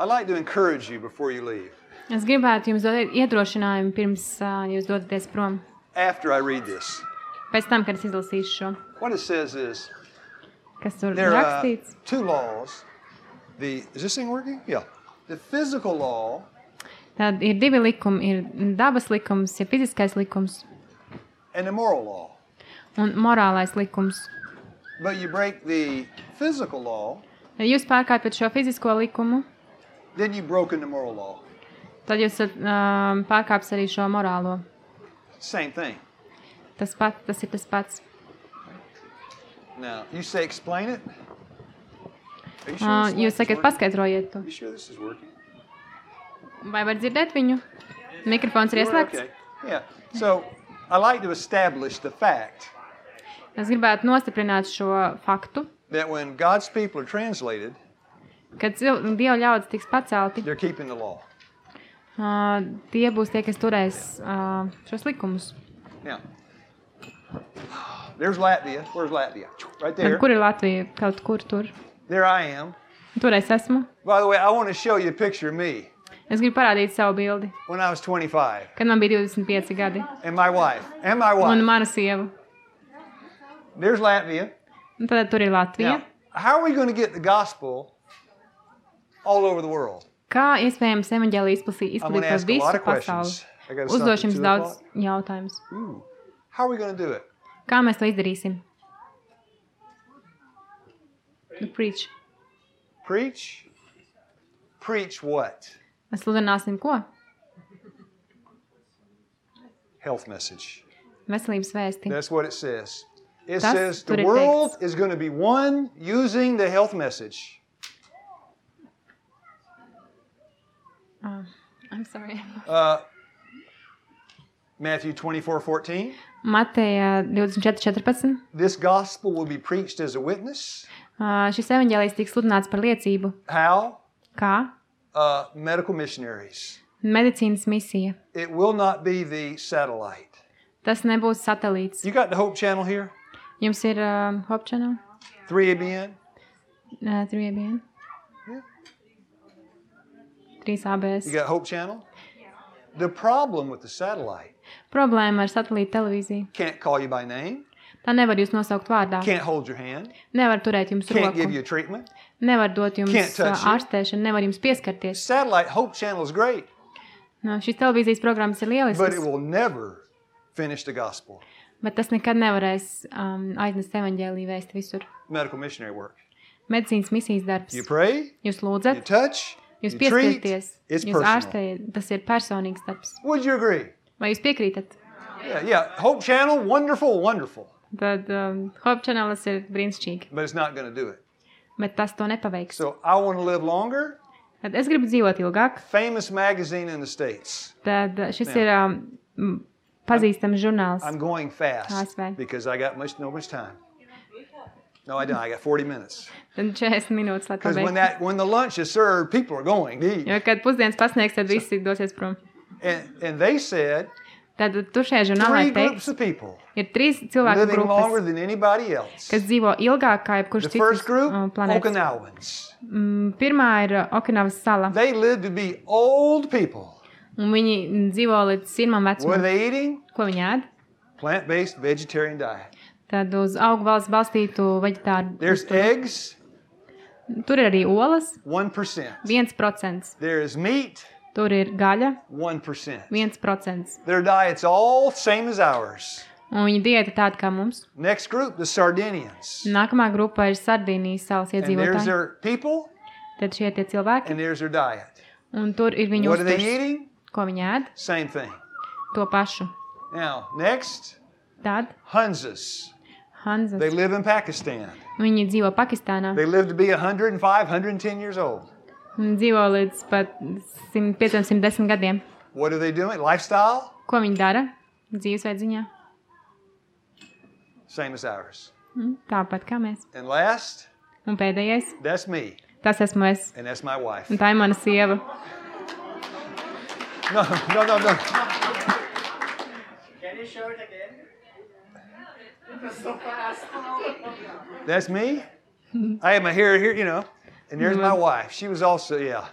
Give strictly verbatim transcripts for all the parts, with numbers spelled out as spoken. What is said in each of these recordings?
I'd like to encourage you before you leave. Es gribētu jums dot iedrošinājumu pirms uh, jūs dodaties prom. After I read this. Pēc tam, kad es izlasīšu šo. What it says is, Kas tur there are rakstīts? two laws. The, is this thing working? Yeah. The physical law. Tad ir divi likumi. Ir dabas likums, ir fiziskais likums. And the moral law. Un morālais likums. But you break the physical law. Ja jūs pārkāpjat šo fizisko likumu, then you broken the moral law. Tad jūs um, pārkāps arī šo morālo. Same thing. Tas pats, tas ir tas pats. Now, you say explain it? Are you sure Uh, this jūs sakat, paskaidrojiet to. Are you sure this is working? Vai var dzirdēt viņu? Mikrofons ir ieslēgts. Okay. Yeah. So, I like to establish the fact Es gribētu nostiprināt šo faktu, that when God's people are translated, kad cil- Dieva ļaudis tiks pacelti, they're keeping the law. uh, tie būs tie, kas turēs uh, šos likumus. Now, there's Latvia. Where's Latvia? Right Tad, there. kur ir Latvija? Kaut kur tur. There I am. Tur es esmu. By the way, I want to show you a picture of me Es gribu parādīt savu bildi, when I was twenty-five. kad man bija divdesmit pieci gadi. And my wife. And my Un wife. mana sieva. There's Latvia. Un tad tur ir Latvija. Now, how are we going to get the gospel all over the world? Kā iespējams evaņģēliju izplatīt, I'm going izplatīt to par ask a visu lot of pasauli? questions. I got to stop Uzdošu at jums two daudz o'clock. jautājumus. Ooh. How are we going to do it? Kā mēs to izdarīsim? Nu, preach. Preach? Preach what? Mēs sludināsim ko? Health message. Veselības vēsti. That's what it says. It Tas says tur the ir world teikts. is going to be one using the health message. Uh, I'm sorry. Uh, Matthew twenty-four fourteen. Mateja divdesmit četri četrpadsmit. This gospel will be preached as a witness. Uh, šis evaņģēlijs tiks sludināts par liecību. How? Kā? Uh, medical missionaries. Medicīnas misija. It will not be the satellite. Tas nebūs satelīts. You got the Hope Channel here? Jums ir uh, Hope Channel? three A B N? Uh, three A B N? Yeah. trīs A B S. You got Hope Channel? The problem with the satellite, Problēma ar satelīta televīziju. can't call you by name, Tā nevar jūs nosaukt vārdā. can't hold your hand, Nevar turēt jums can't give you roku. treatment. Nevar dot jums Can't touch uh, you. ārstēšanu, nevar jums pieskarties. Satellite Hope Channel is great, No, šīs televīzijas programmas ir but it lieliskas, will never finish the gospel. bet tas nekad nevarēs um, aiznest evaņģēliju vēsti visur. Medical missionary work. Medicīnas misijas darbs. You pray, Jūs you lūdzat, touch, jūs you treat, pieskarieties, it's jūs personal. ārstējat. Tas ir personīgs darbs. Would you agree? Vai jūs piekrītat? Yeah, yeah. Hope Channel, wonderful, wonderful, Tad um, Hope Channelis ir brīnišķīgi, but it's not going to do it. bet tas to nepaveiks. So I want to live longer. Tad es gribu dzīvot ilgāk. Famous magazine in the States. Tad uh, šis Jā. ir um, m, pazīstams žurnāls. I'm going fast A S V. because I got much no much time. No, I don't. I got forty minutes. Tad četrdesmit minūtes, lai Because when pabeigtu. that when the lunch is served, people are going to eat. Jo, kad pusdienas pasniegs, tad visi dosies prom. And and they said Tad tur šajā žurnālā three ir groups teikts, of people ir trīs cilvēku living longer grupas, than anybody else. kas dzīvo ilgāk kā jebkurš The first cits group, uh, planētas. Okinawans. Mm, Pirmā ir uh, Okinavas sala, They live to be old people. un viņi dzīvo līdz sirmam What are vecumam. they eating? Ko viņi ēd? Plant-based vegetarian diet. Tad uz augu valsts balstītu veģetāru. There's eggs, Tur ir arī olas, one percent. viens procents. There is meat, Tur ir gaļa, one percent. viens procents. Their diet's all same as ours. Un viņa diēta tāda kā mums. Next group, the Sardinians. Nākamā grupa ir Sardīnijas salas And there's iedzīvotāji. their people, Tad šie tie cilvēki, and there's their diet. un tur ir viņu What are they uzturs. eating? Ko viņi ēd? Same thing. To pašu. Now, next, Tad Hunzas. Hanzas. They live in Pakistan. Viņi dzīvo Pakistānā. They live to be one hundred five, one hundred ten years old. Viņi dzīvo līdz pat simt pieciem, simt desmit gadiem. What are they doing? Lifestyle? Ko viņi dara dzīvesveida ziņā? Same as ours. Mm, Tāpat kā mēs. And last, Un pēdējais, that's me, tas esmu es. and that's my wife. Un tā ir mana sieva. No, no, no, no. Can you show it again? That's so fast. That's me. I have my hair here, you know, and there's my wife. She was also, yeah.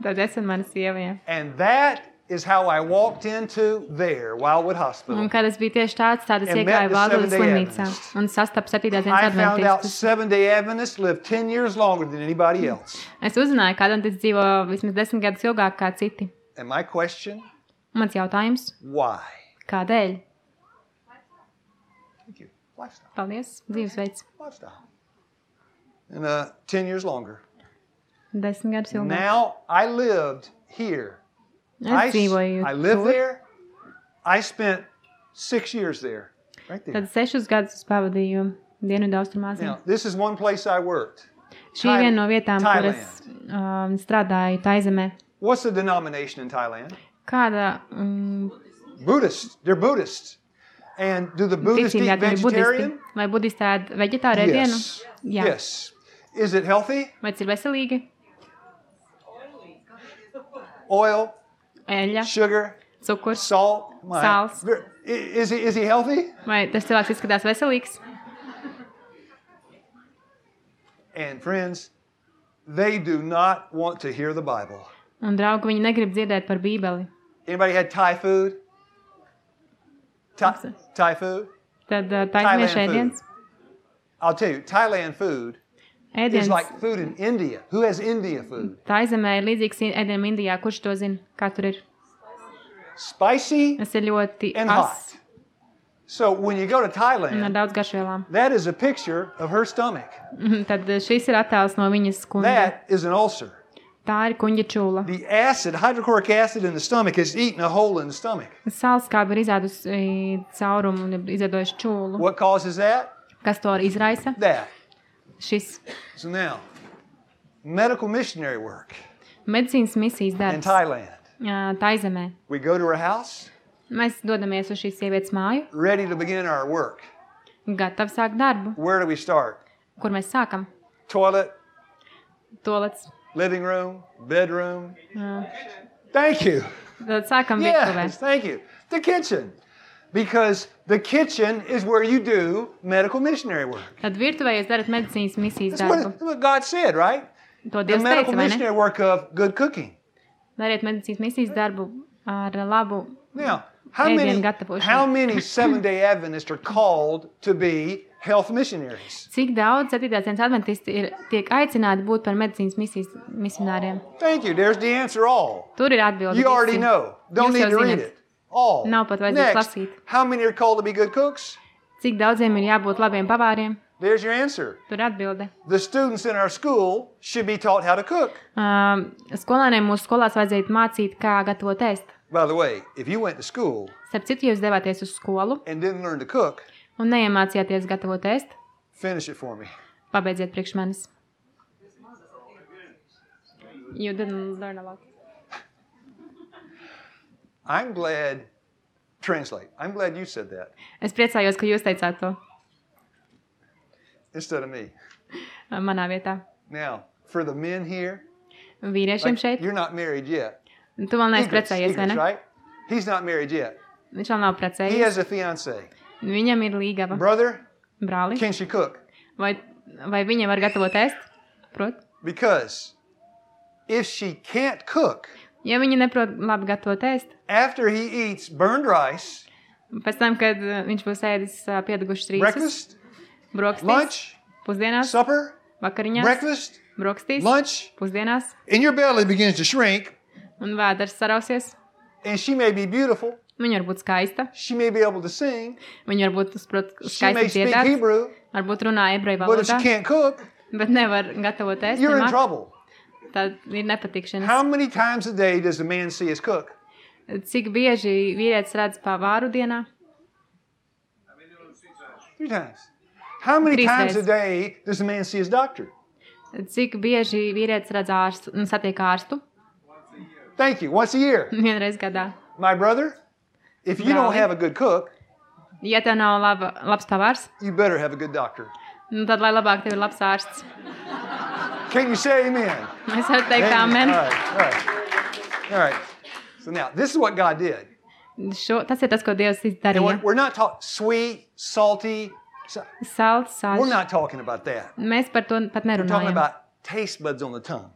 Tad es un mana sieva, jā. And that is how I walked into there, Wildwood Hospital. Un kad es biju tieši tāds, tad es And met iegāju the Valdūdas Seventh-day slimnīcā Adventists. un sastapu septītās dienas I found out adventistus. Seventh-day Adventists live ten years longer than anybody else. Es uzzināju, ka adventisti dzīvo vismaz desmit gadus ilgāk kā citi. And my question, Mans jautājums, why? kādēļ? Thank you. Lifestyle. Paldies, dzīvesveids. Lifestyle. And uh, ten years longer. Desmit gadus ilgāk. Now I lived here. I, Es dzīvoju I lived tur. there. I spent six years there. Right there. Tad sešus gadus es pavadīju Dienvidu Austrumāzijā. Now, this is one place I worked. Šī ir viena no vietām, kur Thailand. es um, strādāju Taizemē. What's the denomination in Thailand? Kāda um, Buddhists. They're Buddhists. And do the Buddhists eat ticība ir budisti? vegetarian? Vai budisti ēd veģetāru ēdienu? Yes. Jā. Yes. Is it healthy? Vai tas ir veselīgi? Oil, Eļļa, sugar, cukurs. salt. My- Sāls. Ver- i- Is he, is he healthy? Vai tas cilvēks izskatās veselīgs? And friends, they do not want to hear the Bible. Un, draugi, viņi negrib dzirdēt par Bībeli. Anybody had Thai food? Thai, Thai food? Tad uh, Thailand taisniešu ēdiens. I'll tell you, Thailand food is Ēdiens like food in India. Who has India food? Taizemē ir līdzīgs ēdienim Indijā. Kurš to zina? Kā tur ir? Spicy Tas ir ļoti and as hot. So when you go to un ar Thailand, daudz garšvielām. that is a picture of her stomach. Mhm, Tad šis ir attēls no viņas kuņģa. That is an ulcer. Tā ir kuņģa čūla. The acid, hydrochloric acid in the stomach has eaten a hole in the stomach. Sālskāba ir izēdusi caurumu un ir izēdojuši čūlu. What causes that? Kas to izraisa? That. Šis So now, medical missionary work medicīnas misijas in darbs Thailand. ā, Taizemē. We go to her house, Mēs dodamies uz šīs sievietes māju, ready to begin our work. gatavi sākt darbu. Where do we start? Kur mēs sākam? Toilet, Tolets. living room, bedroom. ā, Thank you. Tad sākam virtuvē. Yes, thank you. The kitchen. Because the kitchen is where you do medical missionary work. Tad virtuvē jūs darat medicīnas misijas That's what, darbu. that's what God said, right? To The Dievs medical teica, vai ne? missionary work of good cooking. Dariet medicīnas misijas darbu ar labu. Now, how Ēdienu many, gatavošanu. how many Seventh-day Adventists are called to be health missionaries? Cik daudz septītās dienas adventisti ir, tiek aicināti būt par medicīnas misijas misionāriem? Thank you. There's the answer all. Tur ir atbildi. You already visi. know. Don't Jūs need jau to read zinat. it. All. Nav pat vajadzēs Next, lasīt. how many are called to be good cooks? Cik daudziem ir jābūt labiem pavāriem? There's your answer. Tur atbilde. The students in our school should be taught how to cook. Um, skolēniem mūsu skolās vajadzētu mācīt, kā gatavot ēst. By the way, if you went to school Starp citu, ja jūs devāties uz skolu and didn't learn to cook, un neiemācījāties gatavot ēst, finish it for me. pabeidziet priekš manis. You didn't learn a lot. I'm glad, translate, I'm glad you said that Es priecājos, ka jūs teicāt to instead of me. manā vietā. Now, for the men here, Vīriešiem like, šeit. you're not married yet. Tu vēl neesi Egrets, precējies, vai Egrets, ne? right? He's not married yet. Viņš vēl nav He precējies. has a fiancée. Viņam ir līgava. Brother, Brāli. can she cook? Vai, vai viņa var gatavot ēst? Prot? Because if she can't cook, Ja viņa neprot labi gatavot ēst, after he eats burned rice, pēc tam, kad uh, viņš būs ēdis uh, piedegušas rīsus, breakfast, brokastīs, lunch, pusdienās, supper, vakariņās, breakfast, brokastīs, lunch, pusdienās, and your belly begins to shrink, un vēders sarausies. and she may be beautiful, Viņa var būt skaista, she may be able to sing, viņa var būt sprot, she may skaisti speak dziedāt, Hebrew, varbūt runā ebreju but if she valodā, can't cook, bet nevar gatavot ēst. you're in nemāk. trouble. Tad ir nepatikšanas. How many times a day does a man see us cook? Cik bieži vīrietis redz pavāru dienā? Three times. How many Trīs times a reizes. day does a man see his doctor? Cik bieži vīrietis redz ārstu un satiek ārstu? Thank you. Once a year. Vienreiz gadā. My brother, if you don't Brāli. have a good cook, Ja tev nav laba, labs pavārs, you better have a good doctor. nu tad lai labāk tev ir labs ārsts. Can you say amen? Mēs varam teikt Amen. amen. All right. All right. All right. So now, this is what God did. Šo, tas ir tas, ko Dievs And darīja. we're, we're not talking sweet, salty. So, Salds, we're sāļš. not talking about that. Mēs par to pat We're talking nerunājam. about taste buds on the tongue.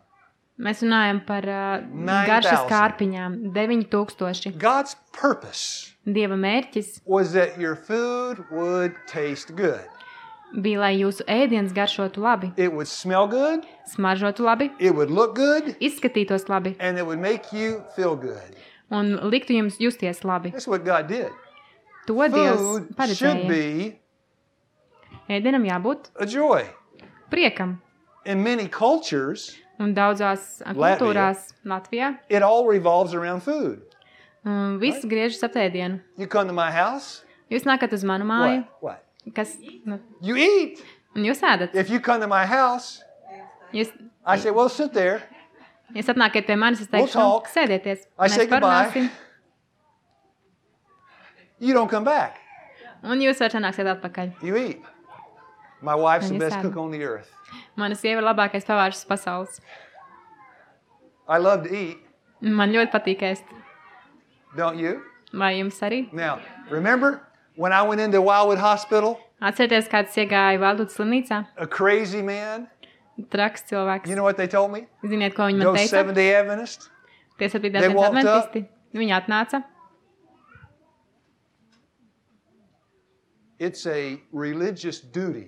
Mēs runājam par uh, nine garšas thousand. kārpiņām. deviņi tūkstoši. God's purpose Dieva mērķis was that your food would taste good. bija, lai jūsu ēdiens garšotu labi, It would smell good, smaržotu labi, it would look good, izskatītos labi and it would make you feel good. un liktu jums justies labi. That's what God did. To Dievs Food should paredzēja. be Ēdienam jābūt a joy. priekam. In many cultures, Un daudzās kultūrās Latvijā it all revolves around food. um, viss griežas ap ēdienu. You come to my house, Jūs nākat uz manu māju, what? What? kas, nu, You eat. un jūs ēdat. If you come to my house, Jūs, I say, well, sit there. jūs atnākiet pie manis, es We'll teikšu, talk. sēdieties. I say Mēs parunāsim. goodbye. You don't come back. Un jūs vairs nāksiet atpakaļ. You eat. My wife's the And you best said- cook on the earth. Mana sieva ir labākais pavārs pasaules. I love to eat, Man ļoti patīk ēst. don't you? Vai jums arī? Now, remember when I went into Wildwood Hospital, Atcerieties, kāds iegāja Valdūtas slimnīcā? a crazy man, Traks cilvēks. you know what they told me? Ziniet, ko viņi man Those teica? Seventh-day Adventists, Tie They septītdienas walked adventisti. Viņi atnāca. it's a religious duty.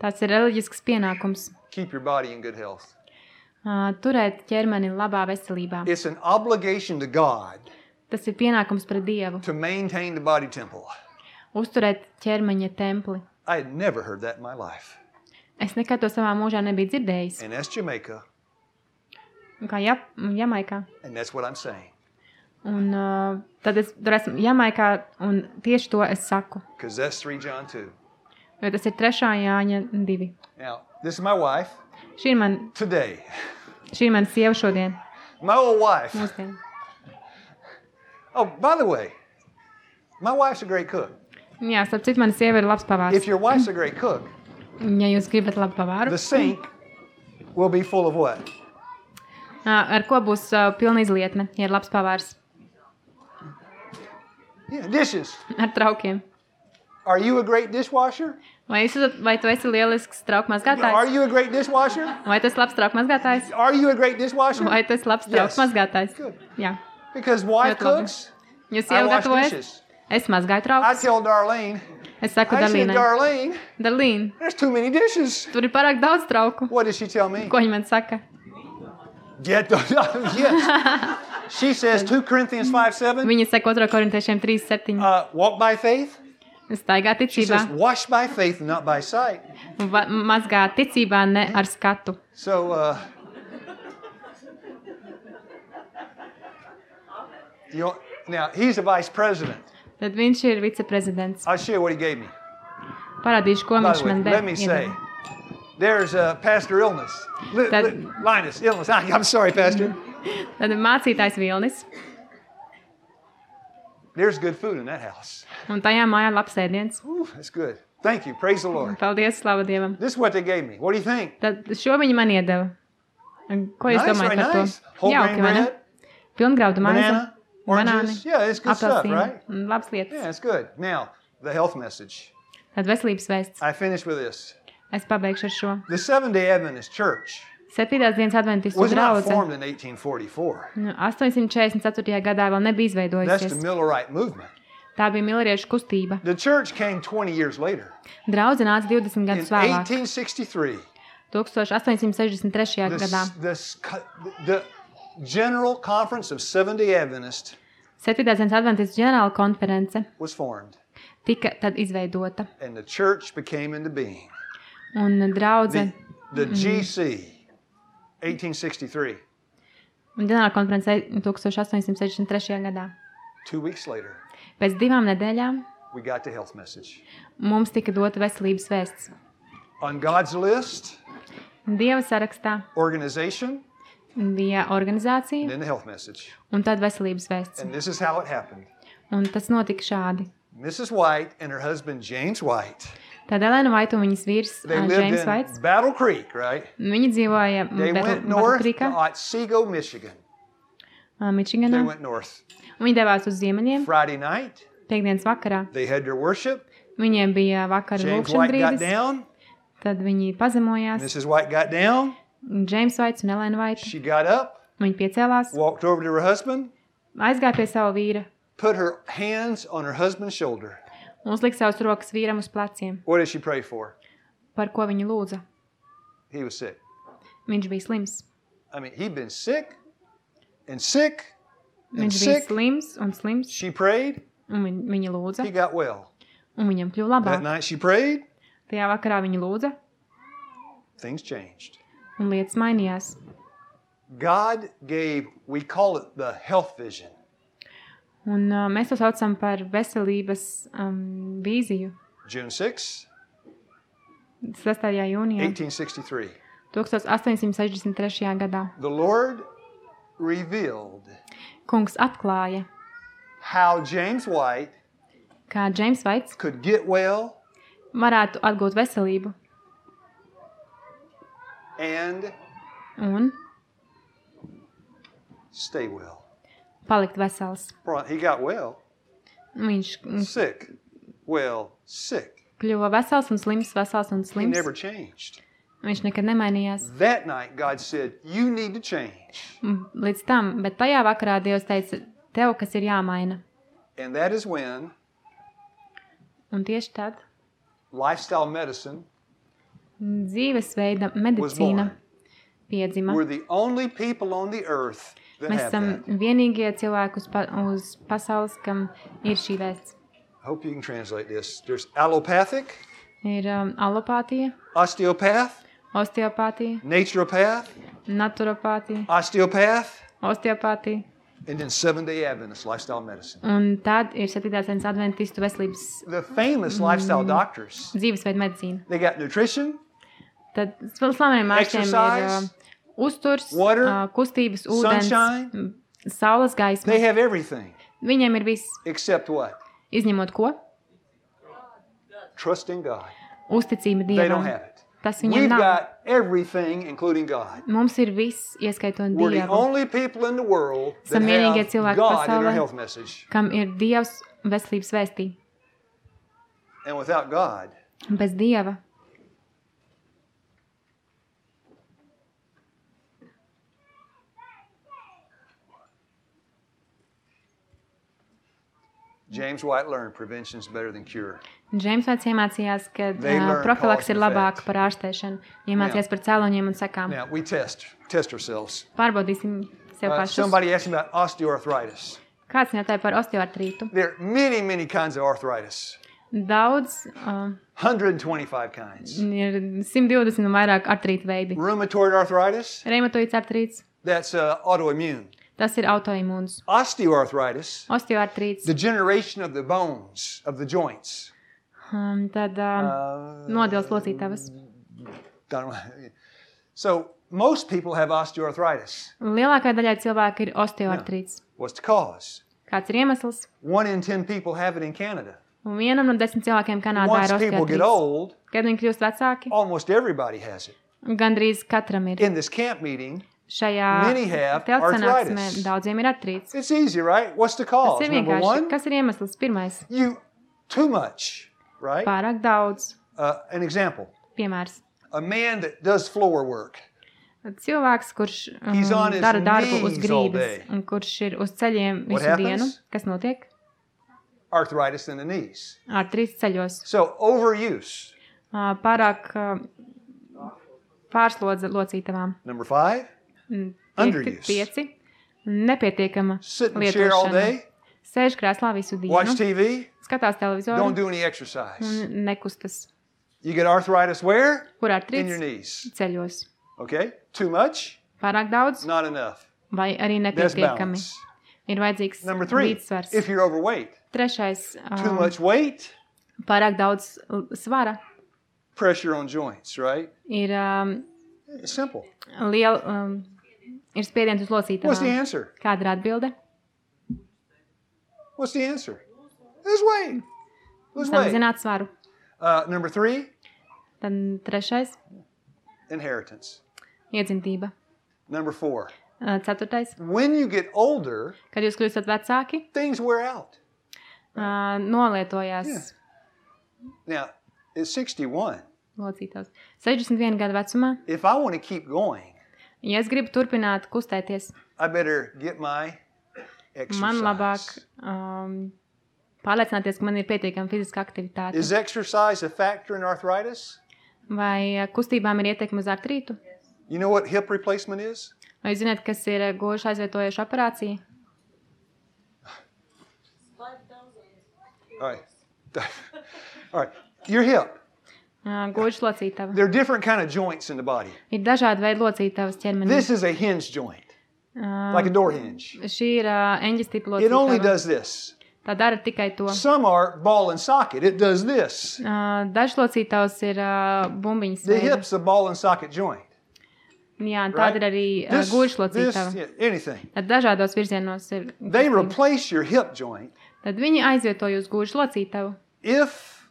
Tāds ir reliģisks pienākums. Keep your body in good health. Uh, turēt ķermeni labā veselībā. It's an obligation to God Tas ir pienākums pret Dievu. to maintain the body temple. Uzturēt ķermeņa templi. I had never heard that in my life. Es nekad to savā mūžā nebiju dzirdējis. And that's Jamaica, Kā Jap Jamaikā. and that's what I'm saying. Un uh, tad es tur esmu Jamaikā, un tieši to es saku. Because that's three John two. Jo tas ir trešā Jāņa divi. Now, this is my wife Šī ir man, today. šī ir mana sieva šodien. My old wife. Mūsdien. Oh, by the way, my wife's a great cook. Jā, starp citu, mana sieva ir labs pavārs. If your wife's a great cook, Ja jūs gribat labu pavāru, the sink will be full of what? uh, ar ko būs uh, pilna izlietne, ja ir labs pavārs? Yeah, dishes. Ar traukiem. Are you a great dishwasher? Vai, jūs, esat- vai tu esi lielisks trauku Are mazgātājs? you a great dishwasher? Vai tu esi labs trauku mazgātājs? Are you a great dishwasher? Vai tu esi labs Yes. trauku mazgātājs? Good. Jā. Because wife Ļoti labi. cooks, Jūs I jau wash gatavojas? dishes. Es mazgāju I traukus. tell Darlene, Es saku I said, Darlīnai. Darlene, Darlīn, there's too many dishes. tur ir pārāk daudz trauku. What did she tell me? Ko viņa man saka? Get those. Yes. She says two Corinthians five seven. Viņa saka otro korintiešiem trīs septiņi. Uh, walk by faith. Staigā She ticībā. says wash by faith, not by sight. Un va- mazgā ticībā, ne ar skatu. So, uh, you know, now he's a vice president. Tad viņš ir viceprezidents. I'll show you what he gave me. Parādīšu, ko By viņš the way, man let me say, deva. there's uh, Pastor Illness. Li- That- li- Linus, Illness. I'm sorry, Pastor. Tad mācītājs Vilnis. There's good food in that house. Un tajā mājā labs ēdiens. Ooh, that's good. Thank you. Praise the Lord. Paldies, slava Dievam. This is what they gave me. What do you think? Tad šo viņi man iedeva. Un Ko jūs Nice, domājat very par to? nice. Whole Jauki, grain vai ne? bread, Pilngraudu maize, banana, oranges. Yeah, it's good stuff, apelsīni. right? Un labs lietas. Yeah, it's good. Now, the health message. Tad veselības vēsts. I finish with this. Es pabeigšu ar šo. The Seventh-day Adventist Church Septītās dienas adventistu was not draudze. formed in eighteen forty-four. Nu, astoņsimt četrdesmit ceturtajā gadā vēl nebija That's the izveidojusies. Millerite movement. Tā bija milleriešu kustība. The church came twenty years later. Draudze nāca divdesmit In gadus vēlāk. eighteen sixty-three, astoņpadsmit sešdesmit trešajā the, gadā. the, the General Conference of Seventh-day Adventists Septītās dienas adventistu ģenerāla konference was formed, tika tad izveidota. and the church became into being. Un draudze, The, the G C, eighteen sixty-three. un ģenerāla konference astoņpadsmit sešdesmit trešajā gadā. Two weeks later, Pēc divām nedēļām we got the health message. mums tika dota veselības vēsts. On God's list, Dieva sarakstā organization, bija and organizācija then the health message. un tad veselības vēsts. And this is how it happened. Un tas notika šādi. Missus White and her husband James White, Tad Elena Vaita un viņas vīrs they ā, lived James in Vaits, Battle Creek, right? viņi dzīvoja They went north to Otsego, Michigan. They Mičiganā. went north. Viņi devās uz ziemeļiem Friday night, piekdienas vakarā. they had their worship. Viņiem bija vakara James lūkšana White got brīdis, down. tad viņi pazemojās. Missus White got down. Džeims Vaits un Elēna Vaita. She got up, Viņa piecēlās, walked over to her husband, aizgāja pie sava vīra put her hands on her husband's shoulder. un uzlika savus rokas vīram uz pleciem. What did she pray for? Par ko viņa lūdza? He was sick. Viņš bija slims. I mean, he'd been sick and sick and Viņš bija sick. slims un slims, She prayed, un viņa, viņa lūdza, he got well. un viņam kļuva That labāk. night she prayed, Tajā vakarā viņa lūdza, things changed. un lietas mainījās. God gave, we call it the health vision. Un uh, mēs to saucam par veselības um, vīziju. June sixth, sestajā jūnijā, eighteen sixty-three. astoņsimt sešdesmit trešajā gadā. The Lord revealed Kungs atklāja, how James White kā Džeims Vaits could get well varētu atgūt veselību and un stay well. palikt vesels. He got well, Viņš mm, sick, well, sick. kļuva vesels un slims, vesels un He slims. never changed. Viņš nekad nemainījās. That night, God said, you need to change. Mm, Līdz tam, bet tajā vakarā Dievs teica, tev, kas ir jāmaina. And that is when Un tieši tad lifestyle medicine dzīvesveida was medicīna born. piedzima. We're the only people on the earth that Mēs have esam that. vienīgie cilvēki uz, pa, uz pasaules, kam ir šī vēsts. I hope you can translate this. There's allopathic, Ir um, alopātija, osteopath, osteopātija, naturopath, naturopātija, osteopath, osteopātija. and then Seventh-day Adventist lifestyle medicine. Un tad ir septītās dienas adventistu veselības The famous lifestyle doctors, dzīvesveida medicīna. they got nutrition, Tad slaveniem ārstiem ir uh, Exercise, uzturs, water, uh, kustības, ūdens, sunshine. m, saules gaisma. they have everything Viņiem ir viss, except what? izņemot ko? Trust in God. Uzticība They don't Dievam. have it. Tas viņiem We've nav. got everything, including God. Mums ir viss, ieskaitot We're the Dievu, only people in the world that Esam vienīgie have cilvēki God in our pasaulē. health message. kam ir Dievs veselības vēstī. And without God, Bez Dieva James White learned prevention is better than cure. Džeims Vaits iemācījās, ka They uh, learn profilaks cause ir and labāka effect. par ārstēšanu. Iemācījās par cēloņiem un sekām. Now, we test, test ourselves. Pārbaudīsim sev Uh, pašus. somebody asked me about osteoarthritis. Kāds jautāja par osteoartrītu? There are many, many kinds of arthritis. Daudz, uh, one hundred twenty-five kinds. ir simt divdesmit un vairāk artrīta veidi. Rheumatoid arthritis, Reumatoīds artrīts, that's uh, autoimmune. tas ir autoimūns. Osteoarthritis, Osteoartrīts, degeneration of the bones, of the joints. um, tad uh, Uh, nodils locītavas. don't know. So, most people have osteoarthritis. Lielākā daļai cilvēku ir osteoartrīts. What's the cause? Kāds ir iemesls? One in ten people have it in Canada. Un vienam no desmit cilvēkiem Kanādā Once ir people get osteoartrīts. old, Kad viņi kļūst vecāki, almost everybody has it. gandrīz katram ir. In this camp meeting, Šajā many have teltsanāksmē arthritis. daudziem ir artrīts. it's easy, right? What's the Tas cause? ir Number vienkārši. one, Kas ir iemesls? Pirmais, you too much, right? pārāk daudz. Uh, an example: Piemērs. a man that does floor work. Cilvēks, kurš um, He's on his dara darbu uz knees all grīdas day. un kurš ir uz ceļiem What visu dienu, happens? kas notiek? Arthritis in the knees. Artrīts ceļos. So overuse. Uh, pārāk uh, pārslodze locītavām. Number five, Mm, Underuse. Pieci. Nepietiekama sit in the chair all lietošana. day, Sēž krēslā visu watch dienu, T V, skatās don't televizoru do any exercise. un nekustas. You get arthritis where? Kur In your artrīts? knees. Ceļos. Okay? Too much? Pārāk daudz Not enough. vai arī There's nepietiekami. balance. Ir vajadzīgs Number three, līdzsvars. if you're overweight, Trešais, too um, much weight, pārāk daudz l- svara. pressure on joints, right? Ir um, It's simple. liela, um, ir spiediens uz What's the locītavām. answer? Kāda ir atbilde? What's the answer? Lose weight. Lose weight. Samazināt svaru. Uh, number three, Tad trešais, inheritance. iedzimtība. Number four, Uh, Ceturtais, when you get older, kad jūs kļūstat vecāki, things wear out. uh, nolietojās. Yeah. Now, at sixty-one, locītavs. sešdesmit viena gada vecumā, If I want to keep going, ja es gribu turpināt kustēties, I better get my man labāk exercise. um, pārliecināties, ka man ir pietiekama fiziska aktivitāte. Is exercise a factor in arthritis? Vai uh, kustībām ir ietekme uz artrītu? You know what hip replacement is? Vai jūs zināt, kas ir uh, gošu aizvietojoša operācija? All right. All right. Your hip. Uh, gošu locītava. There are different kind of joints in the body. Ir dažādi veidi locītavas ķermenī. This is a hinge joint, Uh, like a door hinge. Šī ir uh, eņģes tipa It only locītava. does this. Tā dara tikai to. Some are ball and socket. It does this. Uh, Dažs locītavs ir uh, bumbiņas The veida. hip's a ball and socket joint. Jā, un Right? tāda ir arī uh, This, gošu this, locītava. yeah, anything. Tad dažādos virzienos ir. They kustība. replace your hip joint Tad viņi aizvieto jūs gošu locītavu. if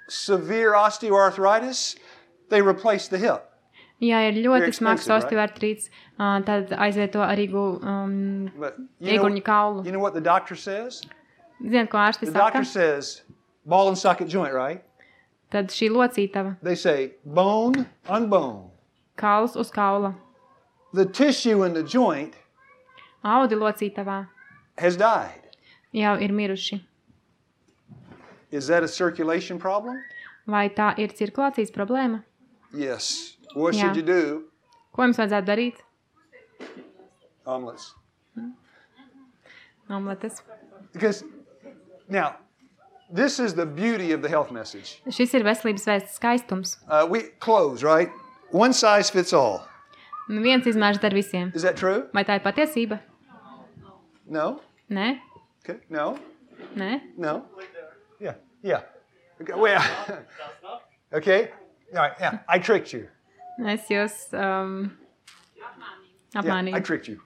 severe osteoarthritis, they replace the hip. Ja ir Very ļoti expensive, smags right? osteoartrīts, uh, tad aizvieto arī gu- um, But you know, iekurņu kaulu. you know what the doctor says? Ziniet, ko ārsti The saka? doctor says ball and socket joint, right? Tad šī locītava, They say bone on bone. kauls uz kaula, The tissue in the joint audi locītavā has died. jau ir miruši. Is that a circulation problem? Vai tā ir cirkulācijas problēma? Yes. What Yeah. should you do? Ko jums vajadzētu darīt? Omelets. Omletes. Because now, this is the beauty of the health message. Šis ir veselības vēsts skaistums. Uh, we clothes, right? One size fits all. Nu, viens izmērs dar visiem. Is that true? Vai tā ir patiesība? No. Nē? Okay. No. Nē? No. Yeah. Yeah. Okay. Well, okay. All right. Yeah. I tricked you. Es jūs um, Yeah. I apmānīju. tricked you.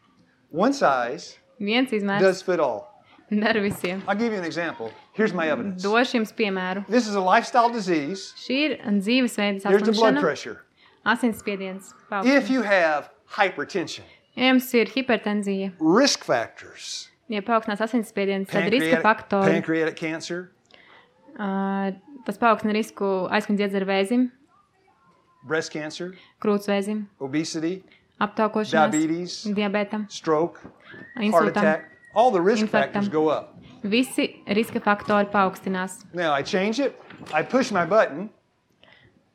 One size Viens izmērs does fit all. dar visiem. I'll give you an example. Here's my evidence. Došu jums piemēru. This is a lifestyle disease. Šī ir dzīvesveida Here's the blood saslimšana, pressure. asinsspiediens. If paaugstināts. you have hypertension, Ja jums ir hipertenzija, risk factors, ja paaugstināts asinsspiediens, tad riska pancreatic, faktori. pancreatic cancer, Uh, tas paaugstina risku aizkuņa dziedzera vēzim, breast cancer, krūtsvēzim, obesity, aptaukošanās, diabetes, diabetam, stroke, heart insultam. attack. All the risk Infarktam. factors go up. Visi riska faktori paaugstinās. Now I change it. I push my button,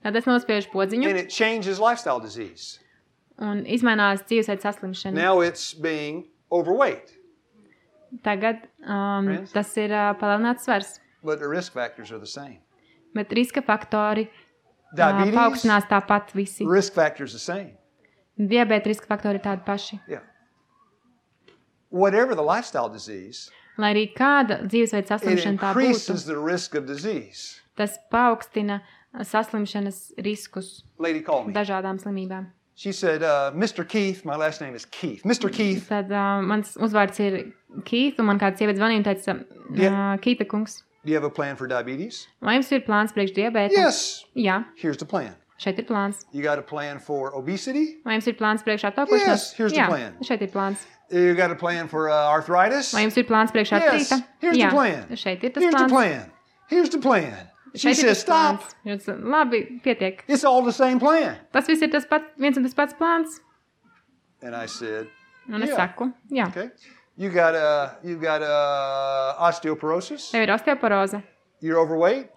Tad es nospiežu podziņu and it changes lifestyle disease. un izmainās dzīvesveida saslimšana. Now it's being overweight, Tagad um, Friends? tas ir uh, palielināts svars, but the risk factors are the same. bet riska faktori uh, Diabetes, paaugstinās tāpat visi. risk factors the same. Diabēta riska faktori ir tādi paši. Yeah. Whatever the lifestyle disease, Lai arī kāda dzīvesveida it saslimšana tā būtu, increases the risk of disease. tas paaugstina saslimšanas riskus Lady called me. dažādām slimībām. She said, uh, Mister Keith, my last name is Keith. Mister Keith, Tad uh, mans uzvārds ir Keith, un man kāds sievietes zvanīja un teica, Yeah. uh, Keita kungs, do you have a plan for diabetes? vai jums ir plāns priekš diabēta? Yes. Jā, Here's the plan. šeit ir plāns. You got a plan for obesity? Vai jums ir plāns priekš aptaukošanās? Yes, here's the Jā, plan. šeit ir plāns. You got a plan for uh, arthritis? Vai jums ir plāns priekš Yes, artrīta? here's Jā, the plan. šeit ir tas Here's the plāns. plan. Here's the plan. She Šeit ir says, tas stop. plāns. Jūs, labi, pietiek. It's all the same plan. Tas viss ir tas pats, viens un tas pats plāns. And I said, Un es Yeah. saku, jā. okay. You got uh, you got uh, osteoporosis. Tev ir osteoporoze, You're overweight.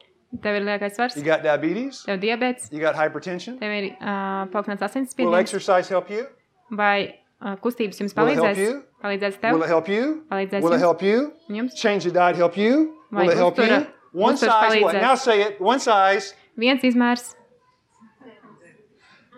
tev ir liekais svars, You got diabetes. tev ir diabēts, You got hypertension. tev ir uh, paaugstināts Will asinsspiediens, exercise help you? vai uh, kustības jums Will it help palīdzēs? you? Palīdzēs tev? Will it help you? Palīdzēs Will it jums? help you? Jums? Change the diet help you? Vai Will it help uztura- you? One uzturs size what? palīdzēs? Now say it. One size. Viens izmērs,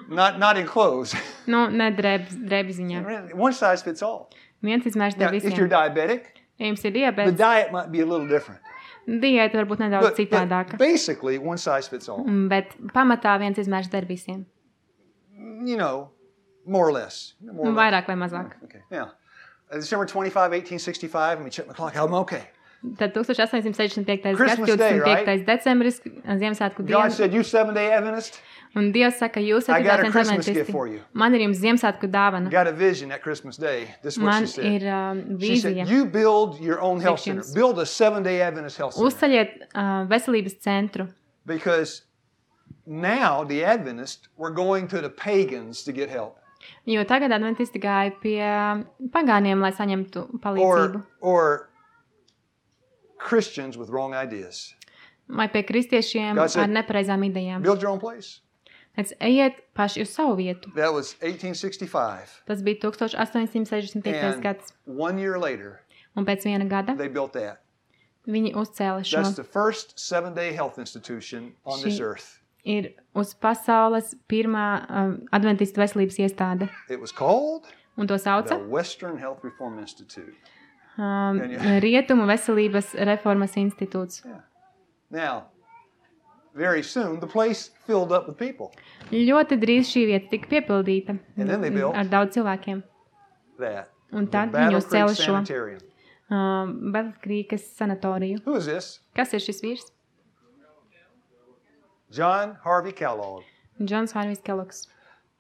Not not in clothes. nu, ne drēbs, drēbi ziņā. One size fits all. Viens izmērs Now, dar if you're visiem. diabetic, Ja jums ir the diabēts, diet might be a little different. diēta var būt nedaudz But, but citādāka. basically, one size fits all. Mm, Bet pamatā viens izmērs dar visiem. You know, more or less. More or Nu, less. vairāk vai mazāk. Okay. Now, uh, December twenty-fifth, eighteen sixty-five. Let me check my clock. I'm okay. Tad astoņdesmit piektais gads, Christmas Day, divdesmit piektais decembris, Ziemassvētku God diena. said, "You seven-day Adventist, Un Dievs saka, jūs I esat got a Advents Christmas gift adventisti. for you. Man ir jums Ziemassvētku dāvana. got a vision that Christmas Day." This is what Man she said. ir um, She said, vīzija. "You build your own health center. Visions. Build a seven-day Adventist health center Uzceļiet uh, veselības centru, because now the Adventists were going to the pagans to get help. Jo tagad adventisti gāja pie pagāniem, lai saņemtu palīdzību. Or, or Christians with wrong ideas. Vai pie kristiešiem God said, ar nepareizām idejām. Build your own place. Tāds ejiet paši uz savu vietu. That was eighteen sixty-five. Tas bija tukstovs astoņsimt sešdesmit piektais And gads. one year later, Un pēc viena gada they built that. viņi uzcēla šo. That's the first seven-day health institution on Šī this earth. ir uz pasaules pirmā um, adventistu veselības iestāde. It was called Un to sauca the Western Health Reform Institute. um, Can you- Rietumu veselības reformas institūts. Yeah. Now, very soon, the place filled up with people. Ļoti drīz šī vieta tika piepildīta And then they built ar daudz cilvēkiem. That. Un The tad viņi Battle Creek uzcēla šo Sanitarium. um, Belkrīkas sanatoriju. Who is this? Kas ir šis vīrs? John Harvey Kellogg. Džons Harvijs Kellogs.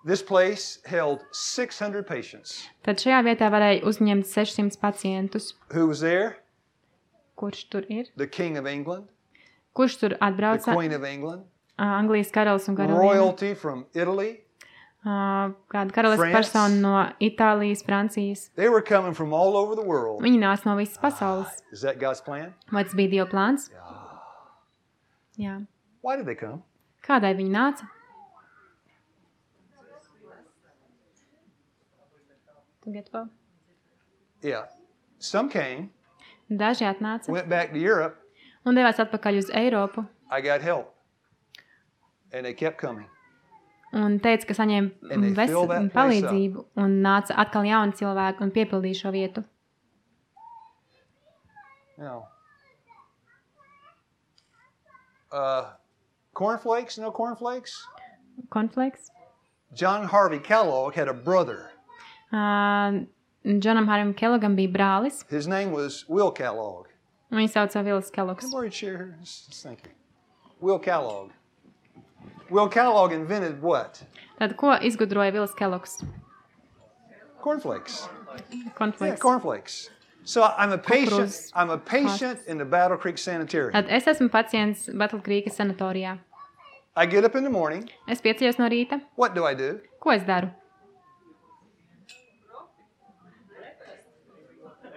This place held six hundred patients. Tad šajā vietā varēja uzņemt sešsimt pacientus. Who was there? Kurš tur ir? The King of England, Kurš tur the atbrauca? Queen of England, Anglijas karalis un karaliene. royalty from Italy. Uh, kāda karalis France. persona no Itālijas, Francijas. They were coming from all over the world. Viņi nāca no visas pasaules. Is that God's plan? Vai tas bija Dieva plāns? Jā. Why did they come? Kādai viņi nāca? Tu gatavo? Yeah. Some came, Daži atnāca went back to Europe. un devās atpakaļ uz Eiropu I got help. And they kept coming. un teica, ka saņēma And they ves- fill that place palīdzību un nāca atkal jauni cilvēki un piepildīja šo vietu. Now, uh, cornflakes? No cornflakes? Konflikts. John Harvey Kellogg had a brother. Uh, Džonam Harim Kellogam bija brālis. His name was Will Kellogg. Un viņu sauca Vils Kellogs. Can I borrow your chair here? Just, just thank you. Will Kellogg. Will Kellogg invented what? Tad ko izgudroja Vils Kellogs? Cornflakes. Yeah, Konflikts. cornflakes. So I'm a patient. Kukurūzas I'm a patient in the Battle Creek Sanitarium. Tad es esmu pacients Battlekrīkas sanatorijā. I get up in the morning. Es pieceļos no rīta. What do I do? Ko es daru?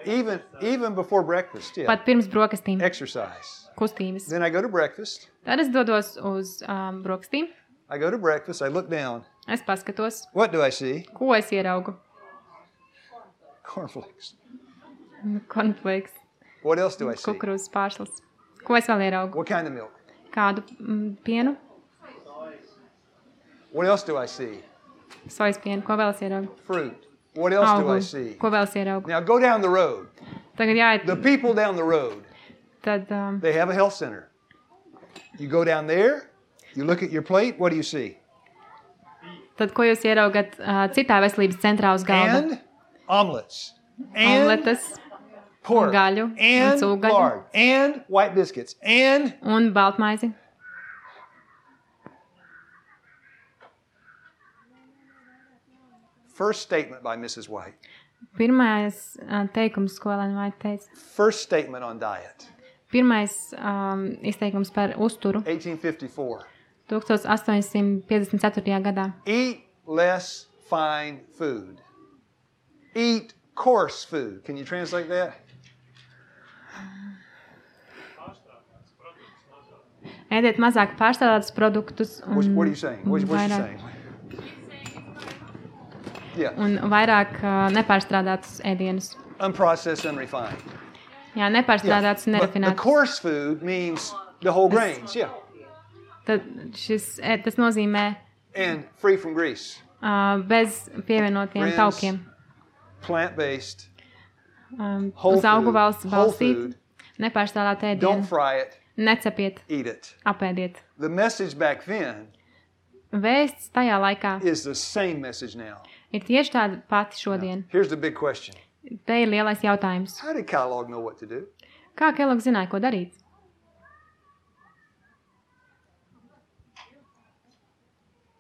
Even even before breakfast, yeah. Pat pirms brokastīm. Exercise. Kustības. Then I go to breakfast. Tad es dodos uz um, brokastīm. I go to breakfast. I look down. Es paskatos, What do I see? ko es ieraugu. Cornflakes. Konflikts. What else do I see? Kukurūzas pārslas. Ko es vēl ieraugu? What kind of milk? Kādu mm, pienu? What else do I see? Sojas pienu. Ko vēl es ieraugu? Fruit. What else do I Augu. see? Ko vēl es ieraugu? Now go down the road. Tagad jāiet. The people down the road, Tad um, they have a health center. You go down there, you look at your plate, what do you see? Tad, ko jūs ieraugat uh, citā veselības centrā uz galda? And omelets. And Omletes pork. gaļu un And cūgaļu. lard. And white biscuits. And un baltmaizi. first statement by Missus White. Pirmais uh, teikums, ko Elena Vaita teica. First statement on diet. Pirmais um, izteikums par uzturu eighteen fifty-four. astoņsimt piecdesmit ceturtajā gadā. Eat less fine food. Eat coarse food. Can you translate that? Ēdiet mazāk pārstrādātus produktus un, What, what are you saying? What, un what's she vairāk, saying? Yeah. un vairāk uh, nepārstrādātus ēdienus. Unprocessed, unrefined. Jā, nepārstrādātus un But the nerafinētus. coarse food means the whole grains, yeah. Tad šis, ē, tas nozīmē And free from grease. uh, bez pievienotiem Friends, taukiem. Plant-based, Um, whole uz augu food, valsts whole balstīt, food. nepārstrādāt Don't ēdienu, fry it, necepiet, eat it. apēdiet. The message back then Vēsts tajā laikā is the same message now. ir tieši tāda pati šodien. Here's the big question. Te ir lielais jautājums. How did Kellogg know what to do? Kā Kellogs zināja, ko darīt?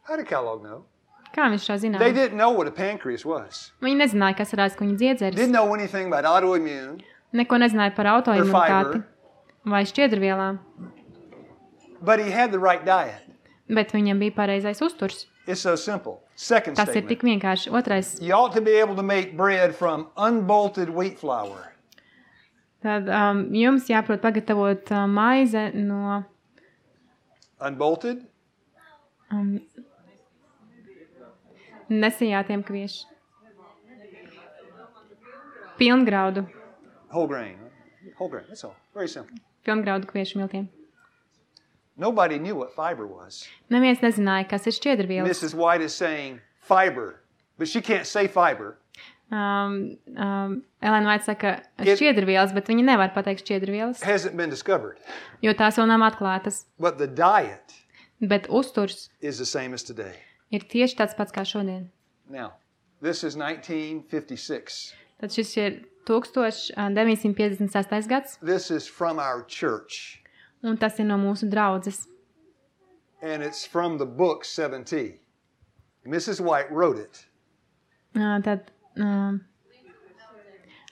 How did Kellogg know? Kā viņš šo They zināja? didn't know what a pancreas was. Viņi nezināja, kas ir aizkuņa dziedzeris. Didn't know anything about autoimmune. Neko nezināja par autoimunitāti fiber. vai šķiedrvielām. But he had the right diet. Bet viņam bija pareizais uzturs. It's so simple. Second Tas ir tik statement. vienkārši. Otrais. You ought to be able to make bread from unbolted wheat flour. Tad um, jums jāprot pagatavot uh, maize no Unbolted? um, nesijātiem kviešu. Pilngraudu. Whole grain. Right? Whole grain. That's all. Very simple. Pilngraudu kviešu miltiem. Nobody knew what fiber was. Neviens nezināja, kas ir šķiedrvielas. Missus White is saying fiber, but she can't say fiber. Um, um, Elena Vaita saka It- šķiedrvielas, bet viņa nevar pateikt šķiedrvielas, Hasn't been discovered. jo tās vēl nav atklātas. But the diet Bet uzturs is the same as today. ir tieši tāds pats kā šodien. Now, this is nineteen fifty-six. Tad šis ir deviņsimt piecdesmit sestais gads, This is from our church. un tas ir no mūsu draudzes. And it's from the book seven T. Missus White wrote it. Uh, tad um,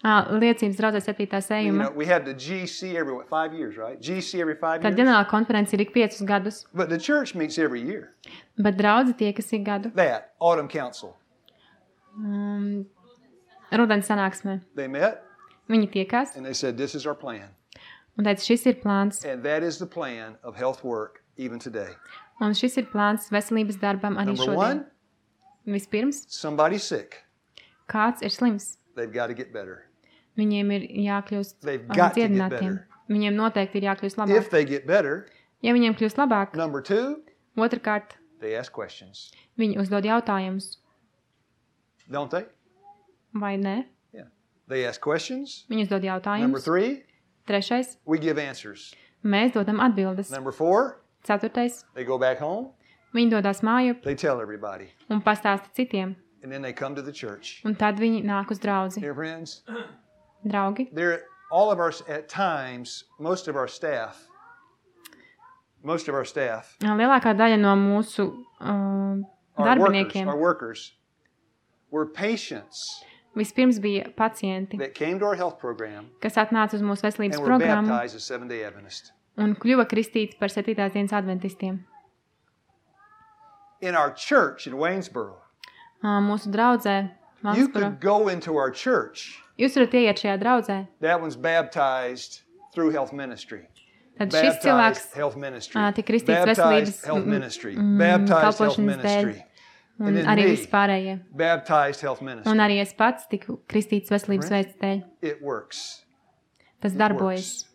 uh, liecības draudzes septītā You know, sējuma. we have the G C every, what, five years, right? G C every five Tad years. ģenerāla konference ir ik piecus gadus, But the church meets every year. bet draudze tiekas ik gadu. That, Autumn Council. Um, Rudens sanāksmē. They met Viņi tiekās and they said, this is our plan. un teica, šis ir plāns. And that is the plan of health work even today. Un šis ir plāns veselības darbam arī Number šodien. one, Vispirms, somebody's sick. kāds ir slims. They've got to get better. Viņiem ir jākļūst They've um, got to get dziedinātiem. better. Viņiem noteikti ir jākļūst If labāk. they get better, Ja viņiem kļūst labāk, number two, otrkārt, they ask questions. viņi uzdod jautājumus, Don't they? vai ne? Yeah. They ask questions. Viņi uzdod Number jautājumus. three, Trešais, we give answers. mēs dodam atbildes. Number four, Ceturtais, they go back home. viņi dodas mājup They tell everybody. un pastāsta citiem. And then they come to the church. Un tad viņi nāk uz draudzi. Dear friends, Draugi, there, all of our, at times, most of our staff, most of our staff, lielākā daļa no mūsu uh, our workers, darbiniekiem our workers, were patients vispirms bija pacienti, that came to our health program kas atnāca uz mūsu veselības and were programmu baptized as Seventh-day Adventists. un kļuva kristīti par septītās dienas adventistiem. In our church in Waynesboro, Uh, mūsu draudzē, you Vansboro, could go into our church. jūs varat ieiet šajā draudzē, That one's baptized through health ministry. tad šis cilvēks Baptized health ministry. ā, tik kristīts Baptized veselības health mm, ministry. mm, Baptized health kalpošanas dēļ ministry. un And then arī me. vispārējie. Baptized health ministry. Un arī es pats tiku kristīts veselības Right. veids dēļ. It works. Tas It darbojas. works.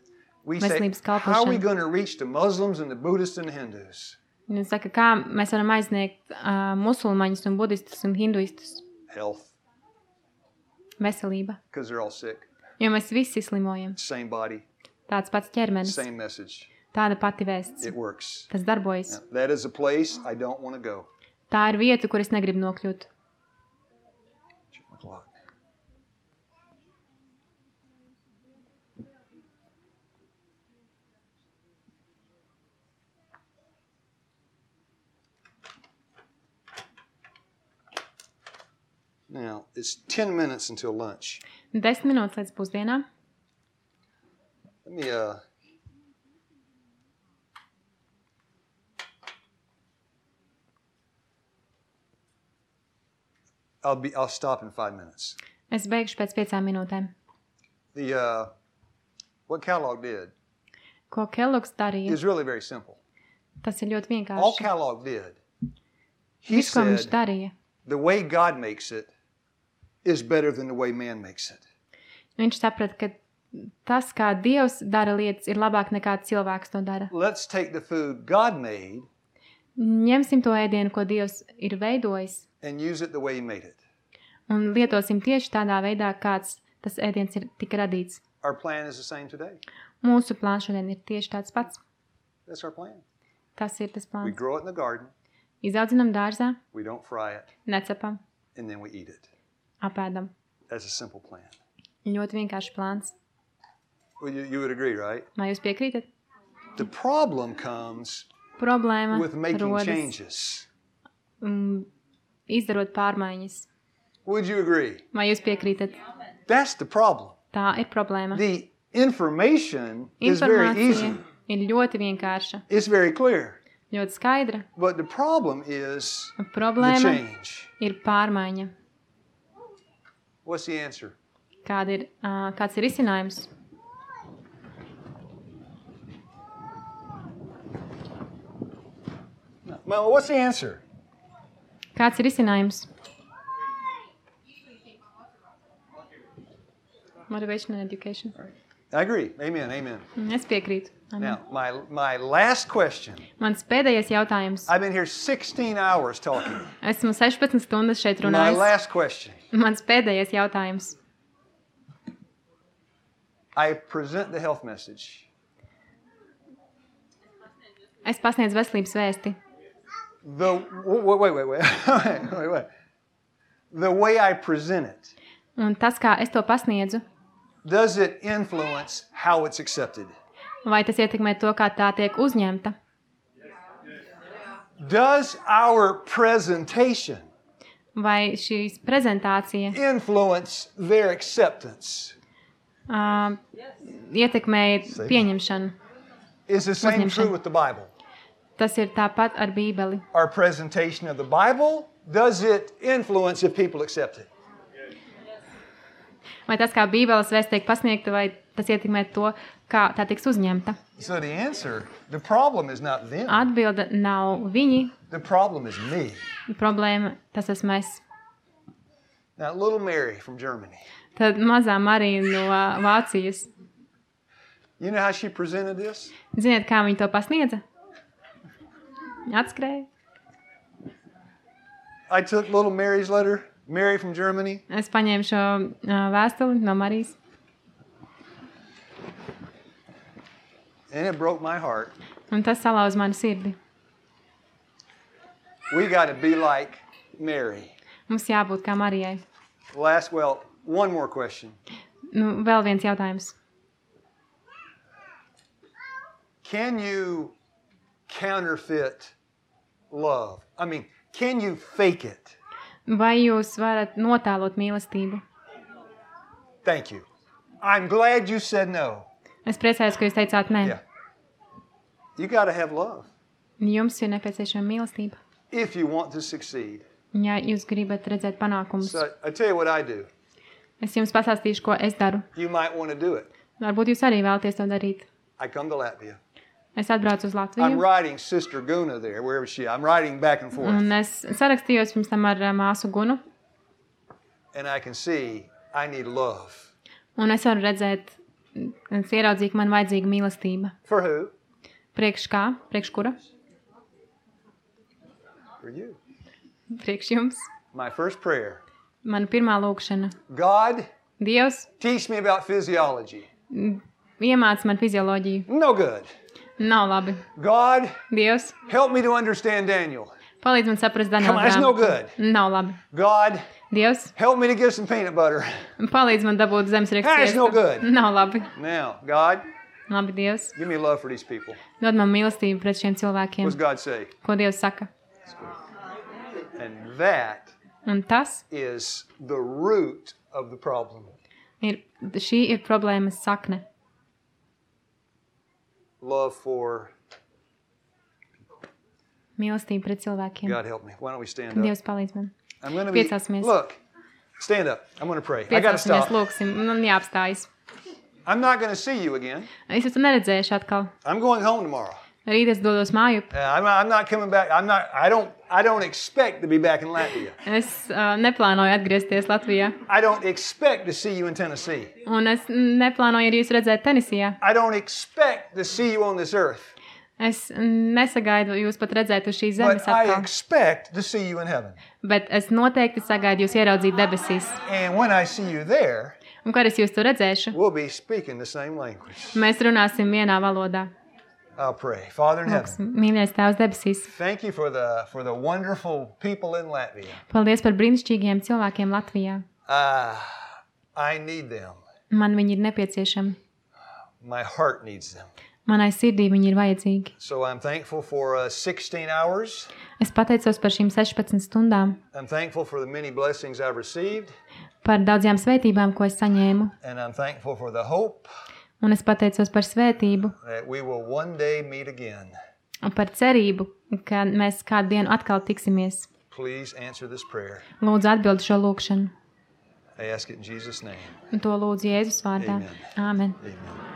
We say, Veselības how are kalpošana. we going to reach the Muslims and the Buddhists and the Hindus? Un es saku, kā mēs varam aizsniegt uh, musulmaņus un budistus un hinduistus? Health. Veselība. Because they're all sick. Jo mēs visi slimojam. Same body, Tāds pats ķermenis. same message. Tāda pati vēsts. It works. Tas darbojas. That is a place I don't want to go. Tā ir vieta, kur es negribu nokļūt. Check my clock. Now, it's ten minutes until lunch. Desmit minūtes līdz pusdienām. Let me, uh, I'll be, I'll stop in five minutes. Es beigšu pēc piecām minūtēm. The, uh, what Kellogg did Ko Kellogs darīja? is really very simple. Tas ir ļoti All vienkārši. Kellogg did, he Viss, ko viņš said, darīja, the way God makes it is better than the way man makes it. viņš saprata, ka tas, kā Dievs dara lietas, ir labāk nekā cilvēks to dara. Let's take the food God made Ņemsim to ēdienu, ko Dievs ir veidojis, and use it the way he made it. un lietosim tieši tādā veidā, kāds tas ēdiens ir tika radīts. Our plan is the same today. Mūsu plāns šodien ir tieši tāds pats. That's our plan. Tas ir tas We plāns. grow it in the garden, Izaudzinam dārzā, we don't fry it, necepam, and then we eat it. apēdam. That's a simple plan. Ļoti vienkārši plāns. Well, you, you would agree, right? Vai jūs piekrītat? The problem comes Problēma with making rodas changes. um, izdarot pārmaiņas. Would you agree? Vai jūs piekrītat? That's the problem. Tā ir problēma. The information is very easy. Informācija ir ļoti vienkārša. It's very clear. ļoti skaidra. But the problem is the Problēma change. ir pārmaiņa. What's the answer? Kāda ir, uh, kāds ir risinājums? Well, what's the answer? Kāds ir risinājums? Motivation and education. I agree. Amen. Amen. Es piekrītu. Amen. Now, my my last question. Mans pēdējais jautājums. I've been here sixteen hours talking. Esmu sešpadsmit stundas šeit My runājis. last question. Mans pēdējais jautājums. I present the health message. Es pasniedzu veselības vēsti. The wait, wait, wait, wait, wait, wait. The way I present it. Un tas, kā es to pasniedzu, Does it influence how it's accepted? vai tas ietekmē to, kā tā tiek uzņemta? Does our presentation Vai šīs prezentācija influence their acceptance? uh, ietekmē pieņemšanu? Is the same Uzņemšanu. true with the Bible? Tas ir tāpat ar Bībeli. Our presentation of the Bible, does it influence if people accept it? Vai tas, kā Bībeles vēsts tiek pasniegta, vai tas ietekmē to, kā tā tiks uzņemta? So the answer, the problem is not them. Atbilde nav viņi. The problem is me. Problēma, tas esmu es. Now, little Mary from Germany. Tad mazā Marija no Vācijas. You know how she presented this? Ziniet, kā viņa to pasniedza? Atskrēja. I took little Mary's letter, Mary from Germany. Es paņēmu šo uh, vēstuli no Marijas. And it broke my heart. Un tas salauz manu sirdi. We got to be like Mary. Mums jābūt kā Marijai. Last, well, one more question. Nu, vēl viens jautājums. Can you counterfeit love? I mean, can you fake it? Vai jūs varat notēlot mīlestību? Thank you. I'm glad you said no. Es priecājos, ka jūs teicāt nē. Yeah. You got to have love Jums ir nepieciešama mīlestība. if you want to succeed. Ja jūs gribat redzēt panākumus. So I tell you what I do. Es jums pastāstīšu, ko es daru. You might want to do it. Varbūt jūs arī vēlaties to darīt. I come to Latvia. Es atbraucu uz I'm Latviju. writing Sister Guna there, wherever she is. I'm writing back and forth. Un es sarakstījos pirms tam ar uh, māsu Gunu. And I can see I need love. Un es varu redzēt, es ieraudzīju, ka man vajadzīga mīlestība. For who? Priekš kā? Priekš kura? For you. Priekš jums. My first prayer. Mana pirmā lūkšana. God, Dievs, teach me about physiology. iemāc man fizioloģiju. No good. Nav labi. God, Dievs, help me to understand Daniel. palīdz man saprast Come Daniela on, it's no grāmatu. good. Nav labi. God, Dievs, help me to get some peanut butter. palīdz man dabūt zemes That's no good. Nav labi. Now, God, Labi, Dievs, give me love for these people. dod man mīlestību pret šiem cilvēkiem. What's God say? Ko Dievs saka? And that Un tas is the root of the problem. ir, šī ir problēmas sakne. Love for Mīlestība pret cilvēkiem. God help me. Why don't we stand up? Dievs palīdz man. I'm going to be Piecāsimies. Look. Stand up. I'm going to pray. I got to Piecāsimies, stop. lūksim, man jāapstājas. I'm not going to see you again. Es esmu neredzējuši atkal. I'm going home tomorrow. Rīt es dodos māju. Uh, I'm, not, I'm not coming back. I'm not. I don't. I don't expect to be back in Latvia. Es uh, neplānoju atgriezties Latvijā. I don't expect to see you in Tennessee. Un es neplānoju arī jūs redzēt Tenisijā. I don't expect to see you on this earth. Es nesagaidu jūs pat redzēt uz šīs zemes But I atkal. expect to see you in heaven. Bet es noteikti sagaidu jūs ieraudzīt debesīs. And when I see you there, Un kad es jūs tur redzēšu, we'll be speaking the same language. mēs runāsim vienā valodā. I'll pray. Father in heaven, Lūksim, mīļais Tēvs debesīs, thank you for the for the wonderful people in Latvia. paldies par brīnišķīgiem cilvēkiem Latvijā. Uh, I need them. Man viņi ir nepieciešami. My heart needs them. Manai sirdī viņi ir vajadzīgi. So I'm thankful for uh, sixteen hours. Es pateicos par šīm sešpadsmit stundām, I'm thankful for the many blessings I've received. par daudzajām svētībām, ko es saņēmu. And I'm thankful for the hope Un es pateicos par svētību, that we will one day meet again. par cerību, ka mēs kādu dienu atkal tiksimies. Please answer this prayer. Lūdzu atbildi šo lūkšanu. I ask it in Jesus' name. Un to lūdzu Jēzus vārdā. Amen. Āmen. Amen.